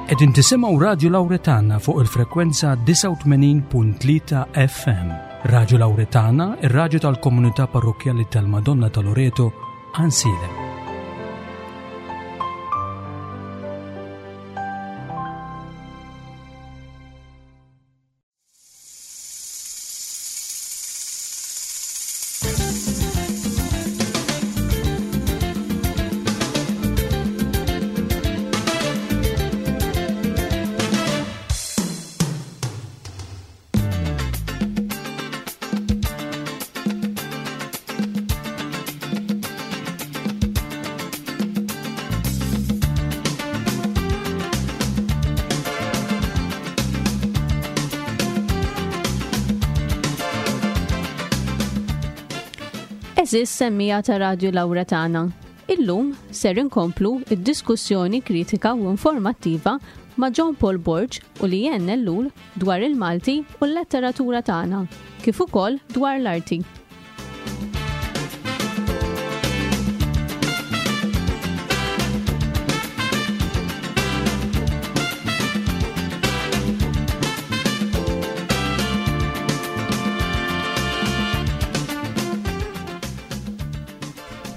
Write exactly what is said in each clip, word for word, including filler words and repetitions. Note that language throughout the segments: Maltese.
Qegħdin tisimgħu Radju Lawretana fuq il-frekwenza disgħa u tmenin punt tlieta F M. Radju Lawretana, ir-radju tal-Komunità Parrokkjali tal-Madonna ta' Loreto, Għajnsielem. Għeżież semmiegħa ta' Radju Lawretana. Illum ser inkomplu id-diskussjoni kritika u informattiva ma' John Paul Borg u Leanne Ellul dwar il-Malti u l-letteratura tagħna, kif ukoll dwar l-arti.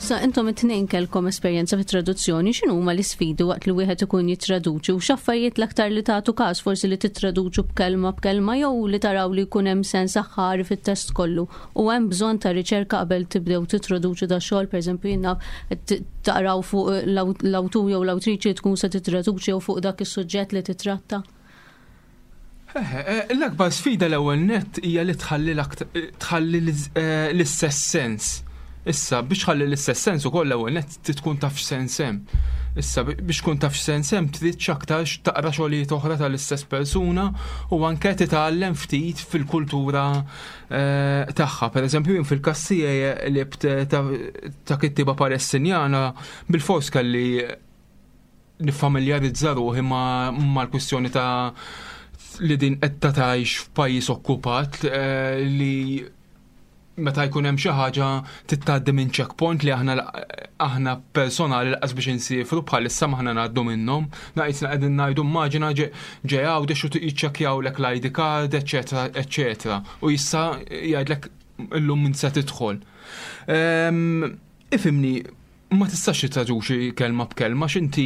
Sa intom it-tnejn kellkom esperjenza fit traduzzjoni, x'inhu huma l-isfidi waqt li wieħed ikun jittraduċi u x'affarijiet l-aktar li tagħtu każ, forsi li tittraduċu b'kelma b'kelma jew li taraw li jkun hemm sens aħħari fit-test kollu, u hemm bżonn ta' riċerka qabel tibdew tittraduċu da xogħol, pereżempju jiena taqraw fuq l-awtur jew l-awtriċi tkun se tittraduċi jew fuq dak is-suġġett li titratta? Eh, l-akbar sfida l-ewwel nett hija li tħalli tħalli eh, l-istess sens. Issa, biex tħalli l-istess sens ukoll, l-ewwel nett tkun taf x'sens hemm. Issa, biex tkun taf x'sens hemm, trid x'aktarx taqra xogħlijiet oħra tal-istess persuna u anke titgħallem ftit fil-kultura eh, tagħha. Pereżempju, jien fil-każ tiegħi li ta' kittiba Palestinjana, bil-fors kelli nifamiljarizza ruħi mal-kwistjoni ta' li din qed tgħix f'pajjiż okkupat, eh, li meta jkun hemm xi ħaġa tgħaddi minn checkpoint li aħna aħna personali lanqas biex insifru bħalissa m'aħna ngħaddu minnhom. Naqisna qegħdin ngħidu, immaġina ġej Għawdex u jiċċekkjawlek l-I D card, eċetera, eċetera. U jissa jgħidlek illum min se tidħol. Ehm, ifhimni, ma tistax tittraduċi kelma b'kelma, x'inti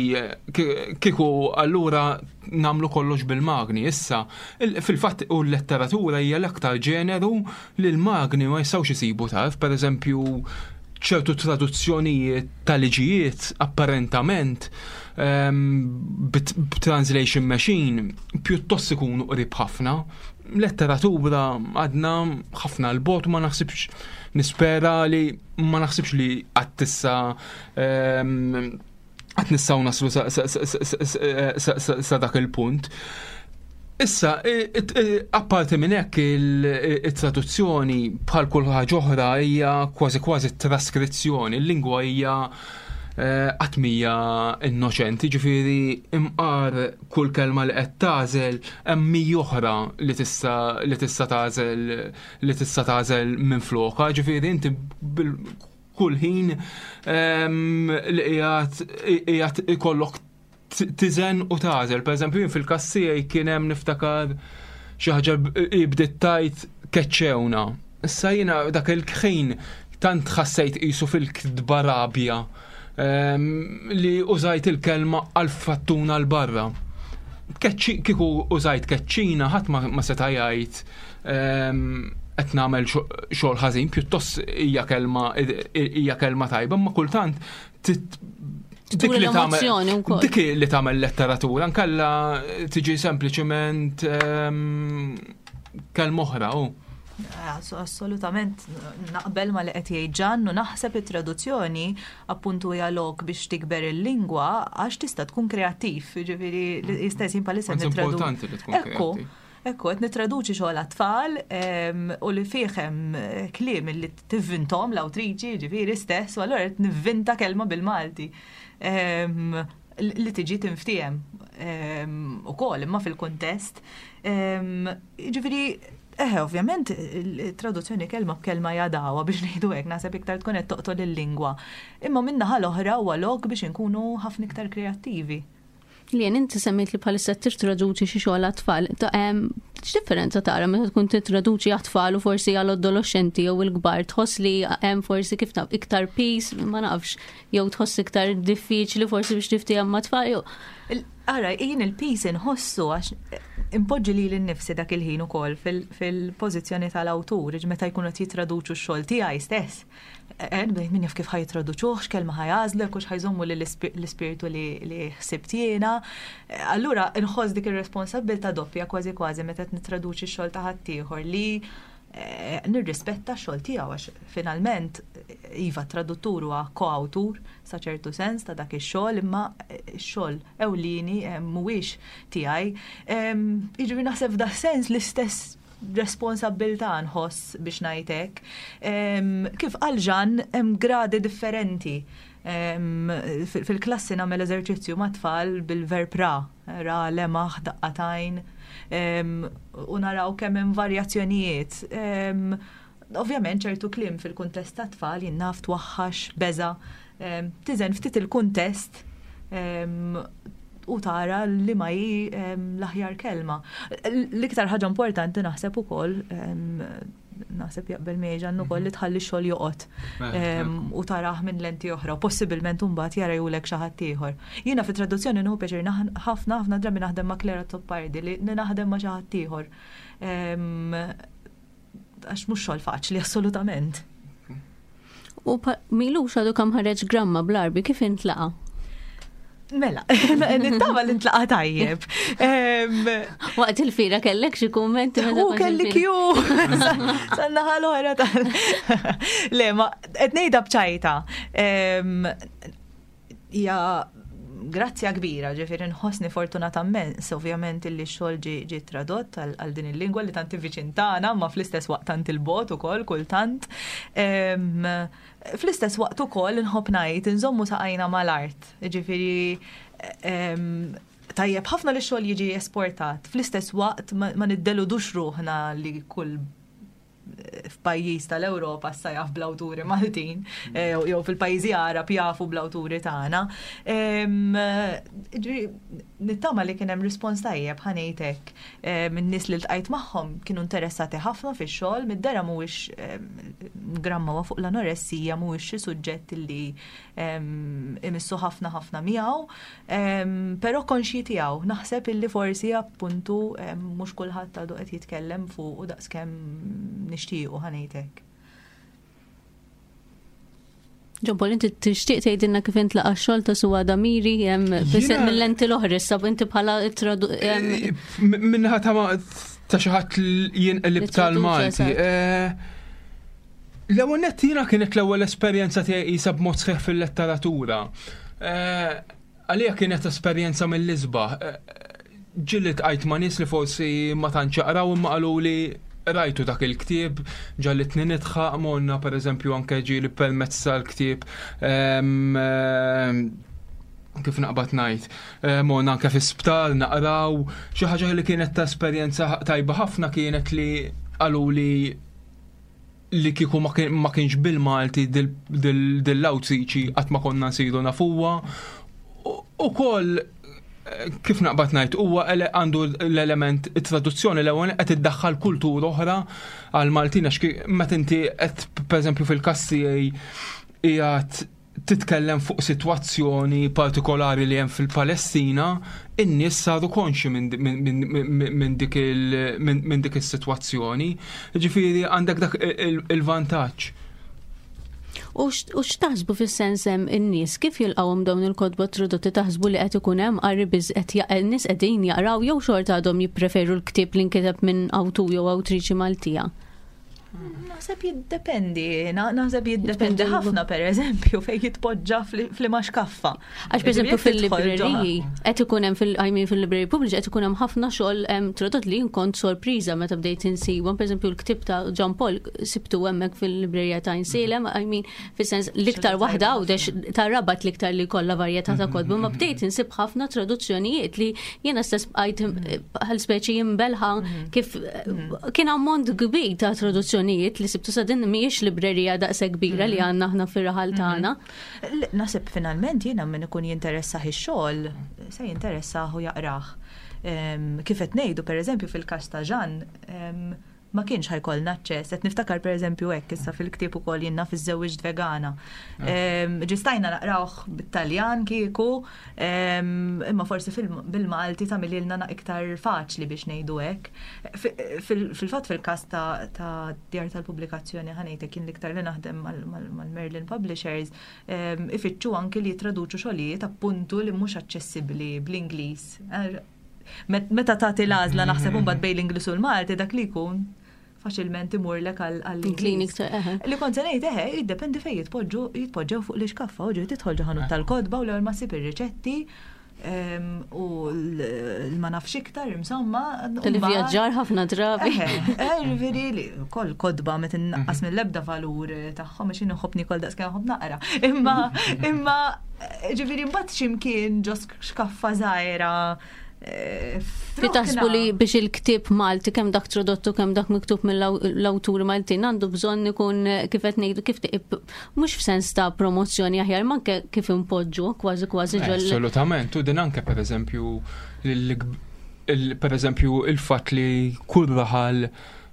kieku allura nagħmlu kollox bil-magni. Issa, fil-fatt u l-letteratura hija l-aktar ġeneru li l-magni ma jistgħux isibu tarf, per eżempju ċertu traduzzjonijiet tal-liġijiet apparentament ehm, b'translation machine pjuttost ikunu qrib ħafna. Letteratura għadna ħafna 'l bogħod, ma naħsibx, nispera li ma naħsibx li għad tissa ehm, għad nistgħu naslu sa dak il-punt. Issa, apparti minn hekk, il-traduzzjoni bħal kull ħaġa oħra hija kważi kważi traskrizzjoni, il-lingwa hija eh, qatt m'hija innoċenti, ġifieri imqar kull kelma li qed tagħżel hemm oħra li tista' li tista' tagħżel li tista' tagħżel minn flokha, ġifieri inti kull ħin ehm, li qiegħed ikollok tiżen u tagħżel. Per eżempju, jien fil-każ tiegħi kien hemm, niftakar, xi ħaġa bdiet tajt "keċċewna". Issa jiena dak il-ħin tant ħassejt qisu fil-kdba rabja ehm, li użajt il-kelma "għal-fattuna l-barra". Kieku użajt "keċċina", ħadd ma seta' jgħid ehm, qed nagħmel xogħol ħażin, pjuttost hija kelma hija kelma tajba, ma kultant dik li tagħmel dik li tagħmel letteratura, nkella tiġi sempliċement ehm, kelma oħra. Assolutament naqbel ma li qed jgħid Ġan u naħseb it-traduzzjoni appuntu hija lok biex tikber il-lingwa għax tista' tkun kreattiv, ġifieri jista' jsir palissa. Importanti li tkun kreattiv. Ekku, qed nittraduċi xogħol għat-tfal u li fih hemm kliem li tivvintom l-awtriċi, ġifieri stess, u allura qed nivvinta kelma bil-Malti li tiġi tinftiehem ukoll imma fil-kuntest. Ġifieri, eħe, ovvjament, traduzzjoni kelma b'kelma jadawa biex ngħidu hekk, naħseb iktar tkun qed toqtol il-lingwa. Imma min-naħa l-oħra huwa lok biex inkunu ħafna iktar kreattivi. Lien, inti semmejt li bħalissa tittraduċi xi xogħol għat-tfal. X'differenza tara meta tkun tittraduċi għat-tfal u forsi għal adolescenti jew il-kbar, tħoss li hemm forsi kif naf iktar peace, ma nafx, jew tħoss iktar diffiċli forsi biex tiftiehem ma' tfal jew. Ara, jien il-piż inħossu għax impoġġi li l-nifsi dak il-ħin ukoll fil-pożizzjoni tal-awtur, meta jkunu qed jitraduċu x-xogħol tiegħi stess. Bdejt min jaf kif ħa jitraduċuh, x'kelma ħa jagħżlu, hekk hux ħa jżommu l-ispirtu li ħsibt jiena. Allura nħoss dik ir-responsabbiltà doppja kważi kważi meta qed nittraduċi x-xogħol ta' ħaddieħor li nirrispetta x-xogħol tiegħu għax finalment iva traduttur huwa koawtur sa ċertu sens ta' dak ix-xogħol, imma x-xogħol ewlieni mhuwiex tiegħi. Jiġifieri naħseb f'dak sens l-istess responsabbiltà nħoss biex ngħid hekk. Kif qal Jean hemm gradi differenti. Fil-klassi nagħmel eżerċizzju ma' tfal bil-verb ra, ra, lemaħ, daqqa t'għajn, u naraw kemm hemm varjazzjonijiet. Ovvjament ċertu kliem fil-kuntest ta' tfal jien naf twaħħax, beża, tiżen ftit il-kuntest u tara li ma hi l-aħjar kelma. L-iktar ħaġa importanti naħseb ukoll, naħseb jaqbel miegħi Jean ukoll, li tħalli xogħol joqgħod u tarah minn lenti oħra, u possibilment imbagħad jara julek xi ħadd ieħor. Jiena fit-traduzzjoni nieħu pjaċir ħafna ħafna drabi naħdem ma' Clare Azzopardi li naħdem ma' xi ħadd ieħor. Għax mhux xogħol faċli assolutament. U m'ilux għadu kemm ħareġ Gramma bl-Għarbi, kif intlaqa? Mela, nittama li ntlaqa tajjeb. Waqt il-fira kellek xi kummenti? U kelli kju. Sanna ħal-oħra tal. Le, ma qed ngħidha bċajta. Hija grazzja kbira, ġifieri nħossni fortunata immens, ovvjament illi x-xogħol ġie tradott għal din il-lingwa li tant viċin tagħna, ma fl-istess waqt tant il-bogħod ukoll kultant. Fl-istess waqt ukoll inħobb ngħid inżommu saqajna mal-art, ġifieri tajjeb ħafna li x-xogħol jiġi esportat, fl-istess waqt ma niddeludux ruħna li kull f'pajjiż tal-Ewropa issa jaf bl-awturi Maltin, jew fil-pajjiżi Għarab jafu bl-awturi tagħna. Nittama li kien hemm rispons tajjeb, ħa ngħid hekk. Min-nies li ltqajt magħhom kienu interessati ħafna fix-xogħol, mid-dera mhuwiex Gramma huwa fuq l-anoressija, mhuwiex xi suġġett li imissu ħafna ħafna miegħu, però konxji tiegħu. Naħseb illi forsi appuntu mhux kulħadd għadu qed jitkellem fuq u daqskemm nixtiequ, ħa ngħid hekk. John Paul, inti tixtieq tgħidilna kif intlaqa' x-xogħol ta' Suada Miri hemm mill-lenti l-oħra issa inti bħala tradu Minnaħa ta' ta' xi ħadd jinqlib tal-Malti. L-ewwel nett jiena kienet l-ewwel esperjenza tiegħi qisha b'mod sħiħ fil-letteratura. Għalija kienet esperjenza mill-isbaħ. Ġieli tqajt ma' nies li forsi ma tantx jaqraw imma qalu li rajtu dak il-ktieb, ġallitni nidħaq, monna per eżempju anke ġieli permezz tal-ktieb, kif naqbad ngħid, monna anke fi sptar naqraw, xi ħaġa li kienet ta' esperjenza tajba ħafna kienet li qalu li li kieku ma kienx bil-Malti dil-awtriċi qatt ma konna nsiru nafuha. Ukoll kif naqbad ngħid, huwa għandu l-element it-traduzzjoni l-ewwel qed iddaħħal kultura oħra għal Maltin għax meta inti qed pereżempju fil-każ tiegħi qiegħed titkellem fuq sitwazzjoni partikolari li hemm fil-Palestina, in-nies saru konxi minn dik minn dik is-sitwazzjoni. Ġifieri għandek dak il-vantaġġ. U x'taħsbu fis-sens hemm in-nies kif jilqgħuhom dawn il-kotba tradotti, taħsbu li qed ikun hemm qari biż qed in-nies qegħdin jaqraw jew xorta għadhom jippreferu l-ktieb li nkiteb minn awtur jew awtriċi Maltija? Naħseb jiddependi, naħseb jiddependi ħafna per eżempju fejn jitpoġġa fl-imax kaffa. Għax per eżempju fil-libreriji, qed ikun hemm fil-, I mean, fil-libreriji pubbliċi qed ikun hemm ħafna xogħol tradott li kont sorpriża meta bdejt insibhom, per eżempju l-ktieb ta' John Paul sibtu hemmhekk fil-librerija ta' Għajnsielem, I mean, fis-sens l-iktar waħda Għawdex ta' Rabat l-iktar li kollha varjetà ta' kotba, ma bdejt insib ħafna traduzzjonijiet li jiena stess bqajt bħal speċi jimbelħa kif kien ammont kbir ta' traduzzjonijiet traduzzjonijiet li sibtu sa din mhijiex librerija daqshekk kbira li għandna aħna fir-raħal tagħna. Naħseb finalment jiena min ikun jinteressah ix-xogħol se jinteressah u jaqrah. Kif qed ngħidu pereżempju fil-każ ta' Jeanne, ma kienx ħa jkollna aċċess. Qed niftakar pereżempju hekk issa fil-ktieb ukoll jiena fiż-żewġ vegana. Ġistajna naqrawh bit-Taljan kieku, imma forsi bil-Malti tagħmililna iktar faċli biex ngħidu hekk. Fil-fatt fil-każ ta' djar tal-pubblikazzjoni ħa ngħidlek kien l-iktar li naħdem mal-Merlin Publishers, ifittxu anki li jitraduċu xogħlijiet appuntu li mhux aċċessibbli bl-Ingliż. Meta tagħti l-għażla naħseb imbagħad bejn l-Ingliż u l-Malti dak li jkun faċilment imurlek għall-Ingliż. Li kont se ngħid eħe, jiddependi fejn jitpoġġu jitpoġġew fuq l-iskaffa u ġiet tidħol ġo ħanut tal-kotba u l-ewwel ma ssib ir-riċetti u ma nafx iktar insomma. Tal-vjaġġar ħafna drabi. Ġifieri li kol kotba ma tinnaqqas mill-ebda valur tagħhom għax jien nħobb niekol daqs kemm nħobb naqra. Imma imma ġifieri mbagħad x'imkien ġo xkaffa żgħira. Fi taħsbu li biex il-ktieb Malti kemm dak tradottu kemm dak miktub mill-awturi Maltin għandu bżonn ikun kif qed ngħidu kif mhux f'sens ta' promozzjoni aħjar ma anke kif impoġġu kważi kważi ġol. Assolutament, u din anke pereżempju pereżempju il-fatt li kull raħal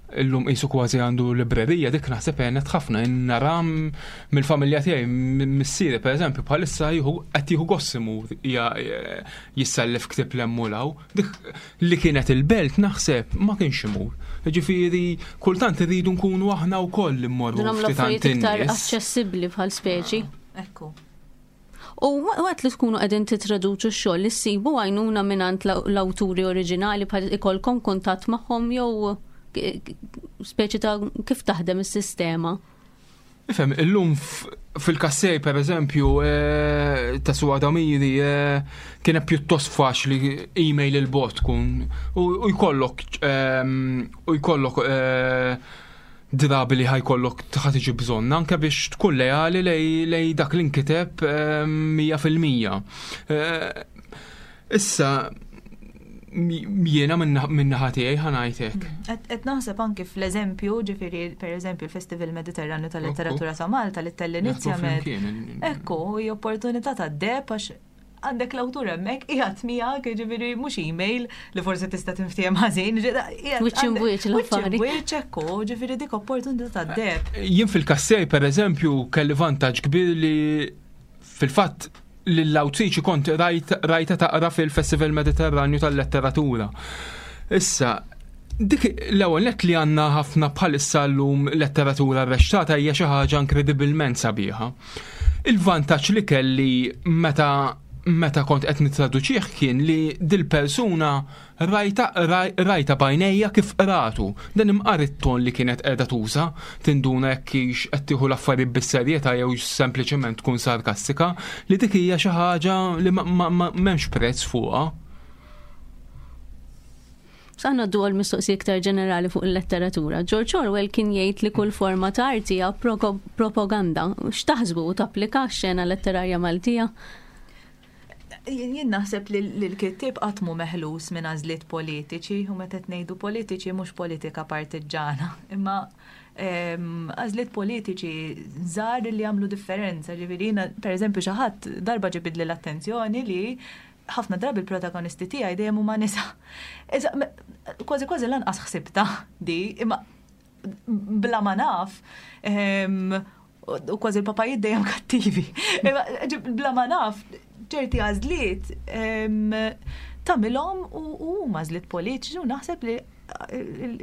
illum qisu kważi għandu librerija, dik naħseb għenet ħafna nara mill-familja tiegħi, missieri pereżempju bħalissa jieħu qed jieħu gost imur jissellef ktieb l-emmulaw. Dik li kienet il-belt naħseb ma kienx imur. Ġifieri kultant irridu nkunu aħna wkoll immorru Nagħmlu ftit għand affarijiet iktar in-nies. aċċessibbli bħal speċi. Ekku. U waqt li tkunu qegħdin titraduċu x-xogħol li ssibu għajnuna mingħand l-awturi oriġinali bħal ikolkom kuntatt magħhom jew speċi ta' kif taħdem is-sistema? Ifhem, illum fil-kassej per eżempju ta' Suada Miri kienet pjuttost faċli email il-bot tkun u jkollok u jkollok drabi li ħa jkollok ħa tiġi bżonn anke biex tkun leali lej dak li nkiteb mija fil-mija. Issa jiena minn naħa tiegħi ħa ngħidlek. Qed naħseb anki fl-eżempju, ġifieri pereżempju l-Festival Mediterranju tal-Letteratura ta' Malta li tell-inizja med. Ekku, hi opportunità ta' deb għax għandek l-awtur hemmhekk qiegħed miegħek, ġifieri mhux email li forsi tista' tinftiehem ħażin, Wiċċ imwiċċ l-affari. Wiċċ imwiċċ ekku, ġifieri dik opportunità ta' deb. Jien fil-kassej pereżempju kelli vantaġġ kbir li fil-fatt l-awtriċi kont rajta taqra fil-Festival Mediterranju tal-Letteratura. Issa, dik l-ewwel nett li għandna ħafna bħalissa llum letteratura rreċtata hija xi ħaġa inkredibilment sabiħa. Il-vantaġġ li kelli meta meta kont qed nittraduċih kien li dil-persuna rajta, rajta b'għajnejja kif qratu. Dan imqar it-ton li kienet qiegħda tuża, tinduna jekk hix qed tieħu l-affarijiet bis-serjetà jew sempliċement tkun sarkastika, li dik hija xi ħaġa li m'hemmx prezz fuqha. Sa ngħaddu għal mistoqsija iktar ġenerali fuq il-letteratura. George Orwell kien jgħid li kull forma ta' arti hija propaganda. X'taħsbu u tapplika x-xena letterarja Maltija? Jien naħseb li l-kittieb qatt mhu meħlus minn għażliet politiċi, u meta qed ngħidu politiċi mhux politika partiġġana, imma għażliet politiċi żgħar li jagħmlu differenza. Ġifieri jiena pereżempju xi ħadd darba ġibidli l-attenzjoni li ħafna drabi l-protagonisti tiegħi dejjem huma nisa. Kważi kważi lanqas ħsibta di, imma bla ma naf, u kważi l-papajiet dejjem kattivi. Bla ma naf, ċerti għażliet tagħmilhom u huma għażliet politiċi u naħseb li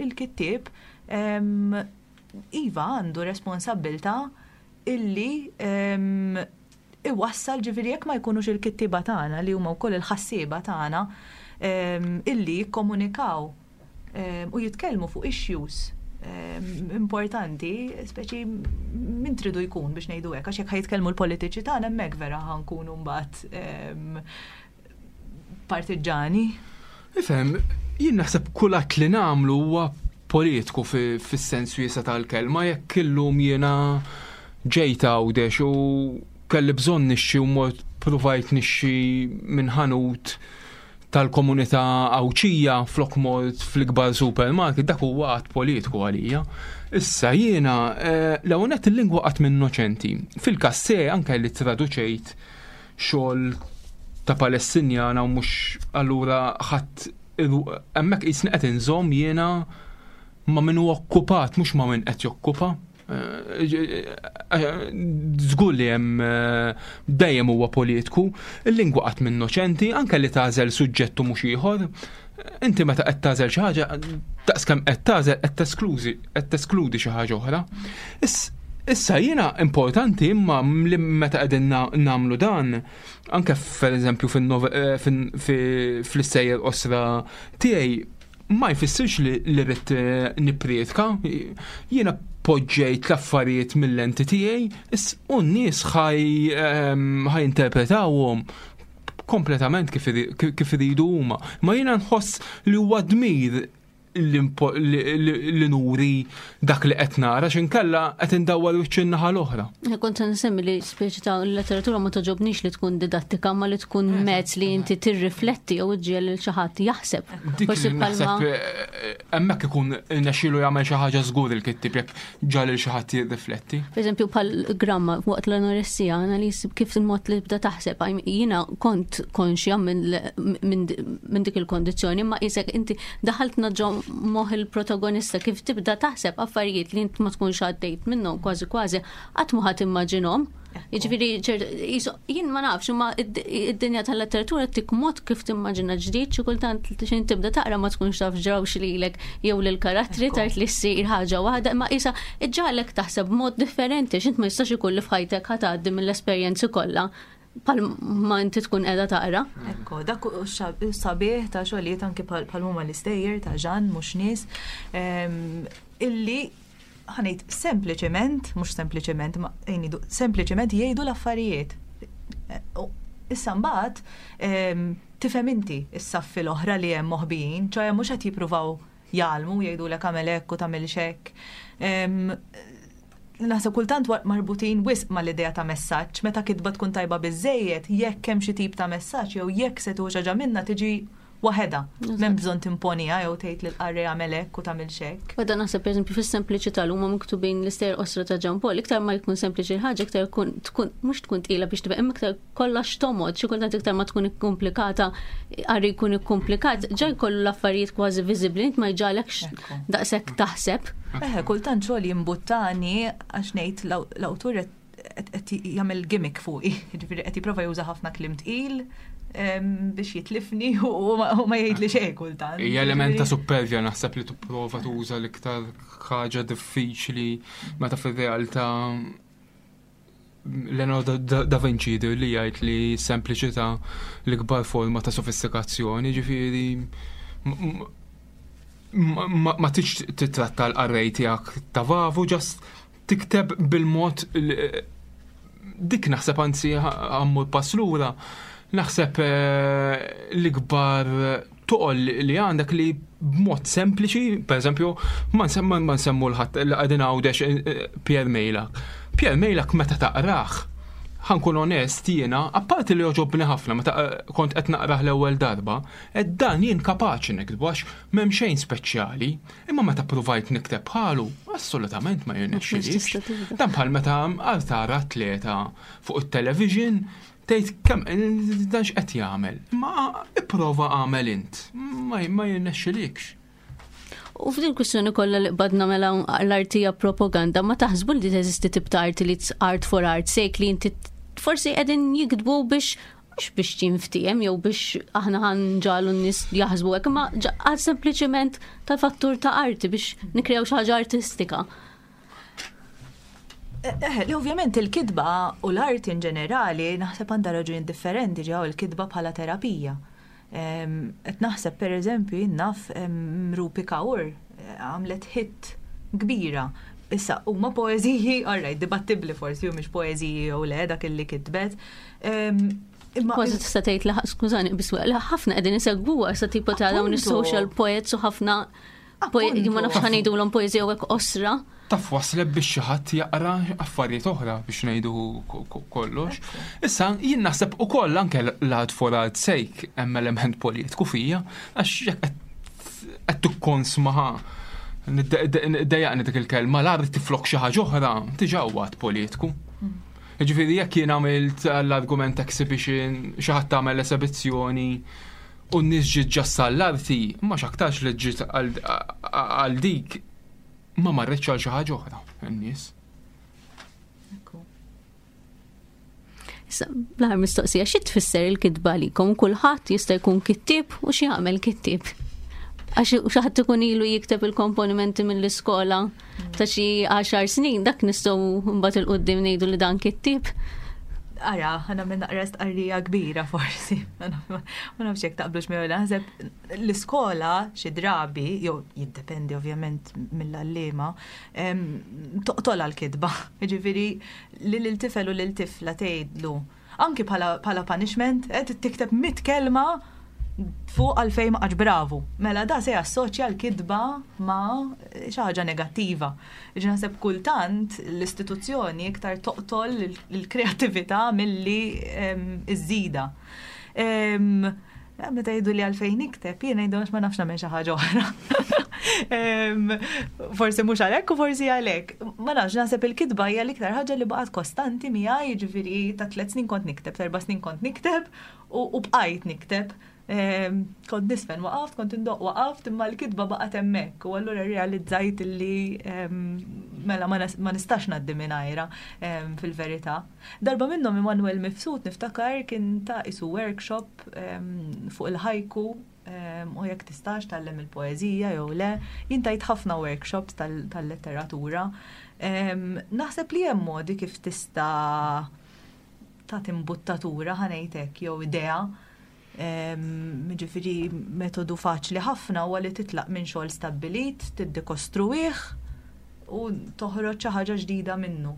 il-kittieb iva għandu responsabbiltà illi iwassal, ġifieri jekk ma jkunux il-kittieba tagħna li huma wkoll il-ħassieba tagħna illi jikkomunikaw u jitkellmu fuq issues importanti, speċi min tridu jkun biex ngħidu hekk, għax jekk ħa jitkellmu l-politiċi tagħna hemmhekk vera ħa nkunu mbagħad partiġġani. Ifhem, jien naħseb kull att li nagħmlu huwa politiku fis-sens wiesa' tal-kelma, jekk illum jiena ġejt Għawdex u kelli bżonn nixxi u mort provajt nixxi minn ħanut tal-komunità Għawdxija flok mort fl-ikbar supermarket, dak huwa att politiku għalija. Issa jiena eh, l-ewwel nett il-lingwa qatt mhi innoċenti. Fil-każ anke li traduċejt xogħol ta' Palestinjana u mhux allura ħadd hemmhekk qisni qed inżomm jiena ma' min hu okkupat, mhux ma' min qed jokkupa. Żgur li hemm dejjem huwa politiku, il-lingwa qatt mhi innoċenti, anke li tagħżel suġġettu mhux ieħor. Inti meta qed tagħżel xi ħaġa, daqskemm qed tagħżel qed tesklużi qed teskludi xi ħaġa oħra. Issa jiena importanti imma li meta qegħdin nagħmlu dan, anke pereżempju fl-istejjer qosra tiegħi ma jfissirx li rrid nipprietka, jiena poġġejt l-affarijiet mill-lenti tiegħi u n-nies ħa jinterpretawhom kompletament kif iridu huma. Ma jiena nħoss li huwa dmir li nuri dak li qed nara x'inkella qed indawwar wiċċ in-naħa l-oħra. Kont se nsemmi li speċi ta' l-letteratura ma toġobnix li tkun didattika ma li tkun mezz li inti tirrifletti jew iġġiegħel lil xi ħadd jaħseb. Dik Forsi li bħalma naħseb eh, hemmhekk ikun nexxielu jagħmel xi ħaġa żgur il-kittib jekk ġal lil xi ħadd jirrifletti. Per eżempju, bħal gramma waqt l-anoressija, għana li kif il-mod li bda taħseb, għaj, jiena kont konxja minn minn minn dik il-kondizzjoni, ma jisek inti daħaltna ġo moħ il-protagonista kif tibda taħseb affarijiet li int ma tkunx għaddejt minnhom kważi kważi qatt ma ħadd immaġinhom. Jiġifieri ċert- jisu- jien ma nafx imma id- id-dinja tal-letteratura tik mod kif timmaġina ġdid xi kultant xejn tibda taqra ma tkunx taf ġrawx lilek jew lil karattri Ekku. tard li ssir ħaġa waħda imma isa iġġagħlek taħseb b'mod differenti x'int ma jistax ikun li f'ħajtek ħa tgħaddi mill-esperjenzi kollha bħal ma inti tkun qiegħda taqra. Ekko, dak u sabiħ ta' xogħlijiet anke bħal bħal huma l-istejjer ta' Jeanne mhux nies, em, illi ħa ngħid sempliċement, mhux sempliċement, ma jgħidu sempliċement jgħidu l-affarijiet. Eh, u Issa mbagħad em, tifhem inti s-saffi l-oħra li hemm moħbijin, ċoè mhux qed jippruvaw jgħallmu jgħidulek agħmel hekk u tagħmilx hekk. Em, Naħseb kultant wa- marbutin wisq mal-idea ta' messaġġ, meta kitba tkun tajba biżejjed, jekk hemm xi tip ta' messaġġ jew jekk se tuħu ħaġa minna tiġi waħedha. M'hemm bżonn timponiha jew tgħid lil qarrej agħmel hekk u tagħmilx hekk. Għada naħseb per eżempju fis-sempliċità li huma miktubin l-istejjer qosra ta' Jean Paul, iktar ma jkun sempliċi l-ħaġa, iktar jkun tkun mhux tkun tqila biex tibqa' imma iktar kollox tomod, xi kultant iktar ma tkun ikkomplikata, qari jkun ikkomplikat, ġa jkollu l-affarijiet kważi viżibbli, int ma jġagħlekx Ekku. daqshekk taħseb. Eħe, kultant xogħol jimbuttani għax ngħid l- l-awtur qed qed jagħmel gimmick fuqi, jiġifieri qed jipprova juża ħafna kliem tqil em, biex jitlifni u ma u ma jgħidli xejn kultant. Hija element ta' supervja naħseb li tipprova tuża l-iktar ħaġa diffiċli meta fir-realtà Leonardo da, da Vinci li jgħid li sempliċità l-ikbar forma ta' sofistikazzjoni, ġifieri m- m- ma, ma tix titratta l-qarrej tiegħek ta' vavu, just tikteb bil-mod li- dik naħseb anzi għammu pass lura, naħseb eh, l-ikbar toqol li għandek li b'mod sempliċi, per eżempju, ma nsemmu ma nsemmu l-ħadd li qegħdin Għawdex eh, Pierre Mejlak. Pierre Mejlak meta taqrah, ħa nkun onest jiena, apparti li joġobni ħafna meta eh, kont qed naqrah l-ewwel darba, ed dan jien kapaċi niktbu għax m'hemm xejn speċjali, imma meta provajt nikteb bħalu, assolutament ma jirnexxilix. tista' tibda. Dan bħal meta għal tara atleta fuq it-television tgħid kemm dan x'qed jagħmel. Ma ipprova agħmel int, ma ma jirnexxilikx. U f'din kwistjoni kollha li qbadna mela l-arti hija propaganda, ma taħsbu li teżisti tip ta' arti li it's art for art sake li inti forsi qegħdin jiktbu biex mhux biex jinftiehem jew biex aħna ħa nġagħlu n-nies jaħsbu hekk, imma ġa- għal sempliċement tal-fattur ta' arti biex nikrew xi ħaġa artistika. Eh, li ovvjament il-kitba u l-arti in ġenerali naħseb għandha raġuni differenti ġew il-kitba bħala terapija. Em, Qed naħseb per eżempju jien naf em, Rupi Kaur eh, għamlet hit kbira. Issa huma poeżiji, alright, dibattibbli forsi u mhix poeżiji jew le dak illi kitbet. Em, Imma Kważi tista' tgħid li skużani biss li ħafna qegħdin isegwuha sa tipo ta' dawn Appunto. is-social poets u ħafna Ma nafx ħa ngħidulhom poeżija u hekk qosra. Taf wasleb biex xi ħadd jaqra affarijiet oħra biex ngħidu kollox. Issa jien naħseb ukoll anke l-art for art sake hemm element politiku fija, għax jekk qed tikkonsmaha, dejjaqni dik il-kelma, l-art tiflok xi ħaġa oħra, diġà huwa politiku. Ġifieri jekk jien għamilt l-argument exhibition, xi ħadd tagħmel esebizzjoni u n-nies ġiet ġassa l-arti, ma x'aktarx li ġiet għal dik, ma marretx għal xi ħaġa oħra n-nies. Issa, bl-aħħar mistoqsija, xi tfisser il-kitba għalikom? Kulħadd jista' jkun kittieb u xi jagħmel kittieb? Għax xi ħadd ikun ilu jikteb il-komponimenti mill-iskola ta' xi għaxar snin, dak nistgħu mbagħad il-qudiem ngħidu li dan kittieb. Ara, ħana minn naqra stqarrija kbira forsi. Ma nafx jekk taqblux miegħu, naħseb l-iskola xi drabi, jew jiddependi ovvjament mill-għalliema, toqtolha l-kitba. Jiġifieri lil il-tifel u lil tifla tgħidlu anki bħala punishment, qed tikteb mitt kelma fuq għalfejn ma qatx bravu. Mela da se jassoċja l-kitba ma' xi ħaġa negattiva. Ġi naħseb kultant l-istituzzjoni iktar toqtol l-kreattività milli iżżida. Meta jgħidu li għalfejn nikteb, jien ngħidu għax ma nafx nagħmel xi ħaġa oħra. Forsi mhux għalhekk u forsi għalhekk. Ma nafx, naħseb il-kitba hija l-iktar ħaġa li baqgħet kostanti miegħi, jiġifieri ta' tliet snin kont nikteb, ta' erba' snin kont nikteb u bqajt nikteb. Kont nisfen waqaft, kont indoq waqaft, imma l-kitba baqgħet hemmhekk u allura realizzajt li mela ma nistax ngħaddi mingħajra fil-verità. Darba minnhom Immanuel Mifsud niftakar kien ta' isu workshop fuq il-ħajku u jekk tistax tgħallem il-poeżija jew le. Jien tajt ħafna workshops tal-letteratura. Naħseb li hemm modi kif tista' tagħti imbuttatura ħa ngħid hekk jew idea. Ġifieri metodu faċli ħafna huwa li titlaq minn xogħol stabbilit, tiddekostruih u toħroġ xi ħaġa ġdida minnu.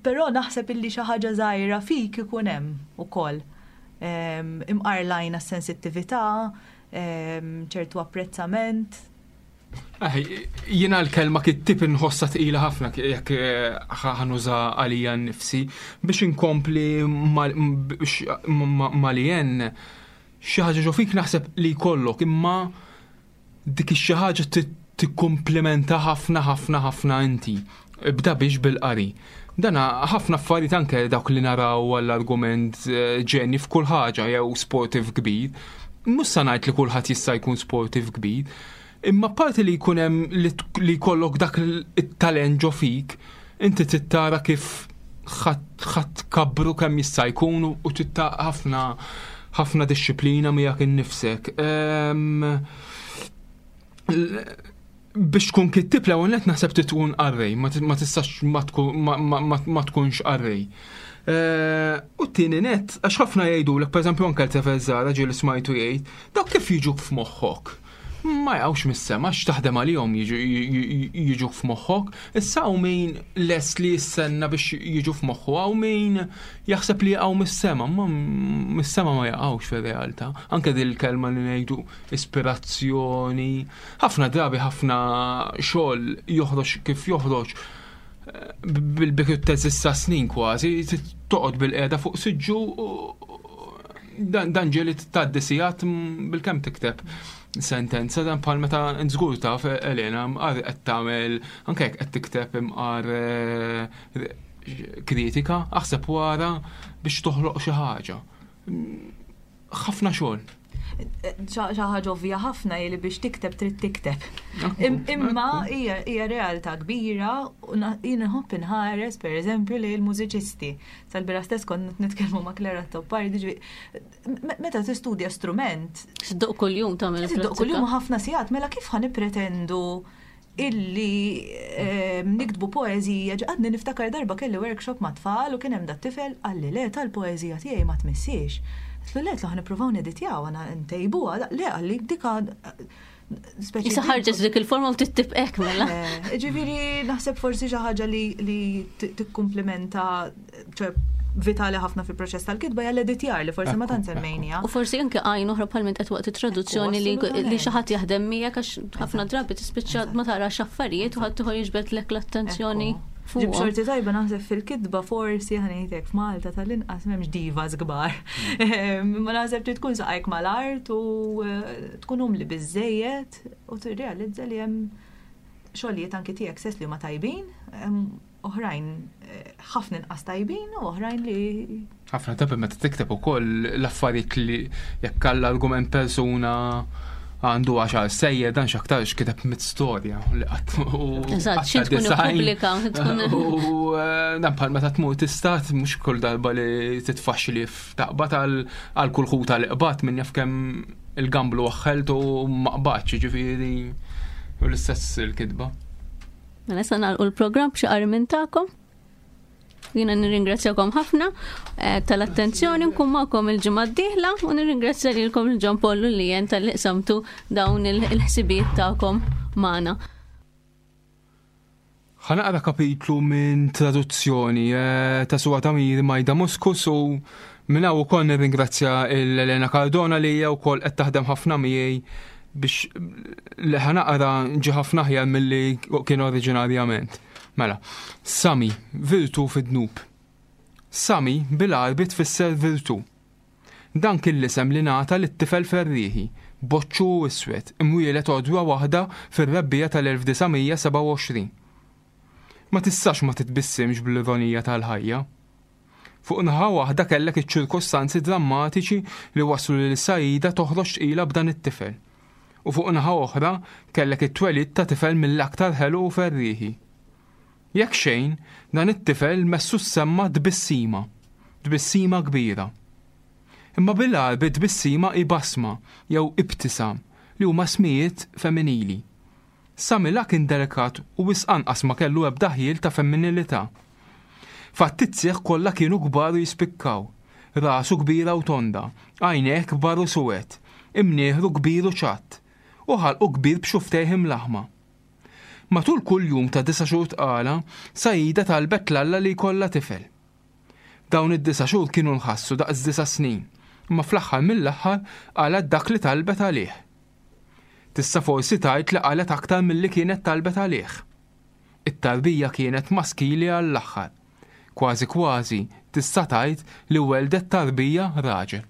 Però naħseb illi xi ħaġa żgħira fik ikun hemm ukoll. Imqarlajna s-sensittività, ċertu apprezzament. Jiena l-kelma kittib inħossha tqila ħafna jekk ħanuża għalija nnifsi biex inkompli malien xi ħaġa ġo fik naħseb li jkollok, imma dik ix-xi ħaġa tikkumplimenta ħafna ħafna ħafna inti. Ibda biex bil-qari. Dana ħafna affarijiet anke dawk li naraw għall-argument ġeni f'kull ħaġa jew sportiv kbir. Mhux sa ngħid li kulħadd jista' jkun sportiv kbir, imma parti li jkun hemm li jkollok dak it-talent ġo fik, inti tittara kif ħadd kabru kemm jista' jkun u titta ħafna ħafna disċiplina miegħek innifsek. Biex tkun kittib l-ewwel nett naħseb tkun qarrej, ma tistax ma tkunx qarrej. U t-tieni nett, għax ħafna jgħidulek, pereżempju anke l-tefel żgħar ġieli smajtu jgħid, dawk kif jiġuk f'moħħok? Ma jgħawx mis-sema, għax taħdem għalihom jiġuk f'moħħok. Issa hawn min lest li jistenna biex jiġu f'moħħu, hawn min jaħseb li jaqgħu mis-sema, ma mis-sema ma jaqgħux fir-realtà. Anke din il-kelma li ngħidu ispirazzjoni, ħafna drabi ħafna xogħol joħroġ kif joħroġ bil-bikru teżista snin kważi, toqgħod bil-qiegħda fuq siġġu, dan ġieli tgħaddi sigħat bil-kemm tikteb sentenza, dan bħal meta nżgur taf Elena mqar qed tagħmel anke jekk qed tikteb imqar kritika, aħseb wara biex toħloq xi ħaġa. Ħafna xogħol. Xi ħaġa ovvja ħafna li biex tikteb trid tikteb. Imma hija realtà kbira u jien nħobb inħares pereżempju li l-mużiċisti. Sal-bira stess kont nitkellmu ma' Clara Toppardi, meta tistudja strument. Tiddoq kuljum tagħmel. Tiddoq kuljum ħafna sigħat, mela kif ħa nippretendu illi niktbu poeżija? Għadni niftakar darba kelli workshop ma' tfal u kien hemm dat-tifel qalli le tal-poeżija tiegħi ma tmissiex. Tlu le, tlu ħanippruvaw neditjaw, għana ntejbuha, le għalli dika speċi. Issa ħarġet dik il-forma u tittibqek mela. Ġifieri naħseb forsi xi ħaġa li tikkumplimenta, ċe vitali ħafna fil-proċess tal-kitba hija l-editjar li forsi ma tant semmejnija. U forsi anke għajn oħra bħal minn qed waqt it-traduzzjoni li li xi ħadd jaħdem miegħek għax ħafna drabi tispiċċa ma tarax affarijiet u ħadd ieħor jiġbedlek l-attenzjoni. Ġib xorti tajba naħseb fil-kitba forsi ħa ngħidlek f'Malta tal-inqas m'hemmx divas kbar. Ma naħseb trid tkun saqajk mal-art u eh, tkun umli biżejjed u tirrealizza li hemm xogħlijiet anki tiegħek stess li huma tajbin, oħrajn eh, ħafna inqas tajbin u oħrajn li ħafna drabi meta tikteb ukoll l-affarijiet li jekk għall-argument persuna għandu għaxar sejjer dan x'aktarx kiteb mit storja li qatt u Eżatt, xi tkun ippubblika, tkun U eh, dan bħal meta tmur tistat mhux kull darba li titfaxxi f'taqbad għal kull ħuta li qbad min jaf kemm il-gamblu waħħelt u ma qbadx, ġifieri u l-istess il-kitba. Mela issa nagħlqu l-programm b'xi qari minn tagħkom. Jiena nirringrazzjakom ħafna eh, tal-attenzjoni nkun magħkom il-ġimgħa d-dieħla u nirringrazzja lilkom il-Ġon Pollu li jen talli qsamtu dawn il-ħsibijiet tagħkom magħna. Ħa naqra kapitlu minn traduzzjoni eh, ta' Suad Amiri Majda Muskus u minn hawn ukoll nirringrazzja l-Elena Cardona li hija wkoll qed taħdem ħafna miegħi biex li ħa naqra ġi ħafna aħjar milli kien oriġinarjament. Mela, Sami, virtu fid-dnub. Sami bil-Għarbi tfisser virtu. Dan kien l-isem li ngħata lit-tifel ferrieħi, boċċu u iswed, imwieled għodwa waħda fir-rebbiegħa tal-elf disa' mija sebgħa u għoxrin. Ma tistax ma titbissimx bl-ironija tal-ħajja. Fuq naħa waħda kellek iċ-ċirkostanzi drammatiċi li waslu lil Saida toħroġ tqila b'dan it-tifel. U fuq naħa oħra kellek it-twelid ta' tifel mill-aktar ħelu u ferrieħi. Jekk xejn, dan it-tifel messu semma tbissima, tbissima kbira. Imma bil-Għarbi tbissima hi basma jew ibtisam li huma smijiet femminili. Sami la kien delikat u wisq anqas ma kellu ebda ħjiel ta' femminilità. Fattizzieh kollha kienu kbar u jispikkaw, rasu kbira u tonda, għajnejh kbar u suwed, imnieħru kbir u ċatt, u ħalqu kbir b'xuftejh imlaħma. Matul kull jum ta' disa' xhur tqala, Saida talbet l-Alla li jkollha tifel. Dawn id-disa' xhur kienu nħassu daqs disa' snin, imma fl-aħħar mill-aħħar qalet dak li talbet għalih. Tista' forsi tgħid li qalet aktar milli kienet talbet għalih. It-tarbija kienet maskili għall-aħħar. Kważi kważi tista' tgħid li weldet tarbija raġel.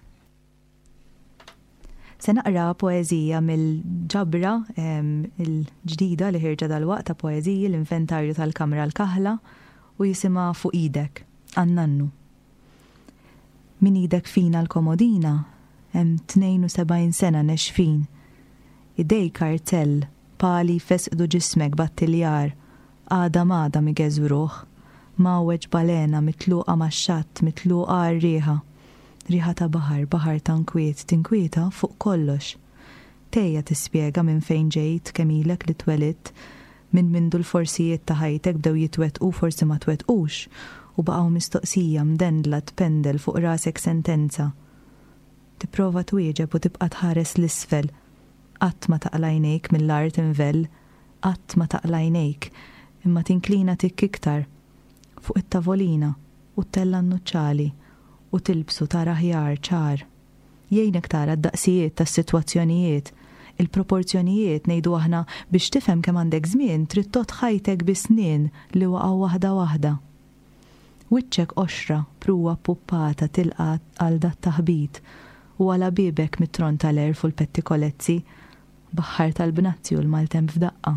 Se naqra poeżija mill-ġabra, em, il-ġdida li ħirġa dal-waqt ta' poeżiji l-inventarju tal-Kamra l-Kaħla u jisimha Fuq Idek, għan-nannu. Min idek fina l-komodina, hemm tnejn u sebgħin sena nexfin. Idej kartell, pali fesqdu ġismek battiljar, għada m'għada migeżwruh, mawweġ balena mitluqa max-xatt, mitluqa għar-riħa. Riħa ta' baħar, baħar ta' nkwiet, tinkwieta fuq kollox. Tejja tispjega minn fejn ġejt, kemm ilek li twelidt, minn mindu l-forsijiet ta' ħajtek bdew jitwettqu forsi ma twettqux, u baqgħu mistoqsija mdendla tpendel fuq rasek sentenza. Tipprova twieġeb u tibqa' tħares l-isfel. Qatt ma taqla' għajnejk mill-art invell, qatt ma taqla' għajnejk, imma tinklina tikk iktar fuq it-tavolina u ttella' n-nuċċali u tilbsu tara ħjar ċar. Jgħinek tara d-daqsijiet tas-sitwazzjonijiet, il-proporzjonijiet ngħidu aħna biex tifhem kemm għandek żmien trid tgħodd ħajtek bi snien li waqgħu waħda waħda. Wiċċek qoxra, pruwa puppata tilqa' għal dat taħbit u għala bibek mit-tron tal-erf u l-pettikolezzi, baħħar tal-bnazzi u l-maltemp f'daqqa.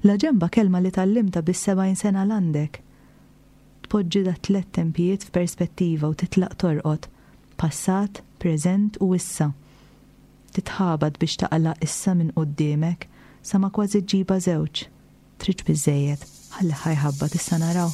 La ġemba kelma li tallimta bis-sebgħin sena l-għandek. Tpoġġi da tliet tempijiet f'perspettiva u titlaq torqod, passat, preżent u issa. Titħabat biex taqla' issa minn quddiemek sa ma kważi ġġibha żewġ. Tridx biżejjed, ħalli ħajħabba tista' naraw.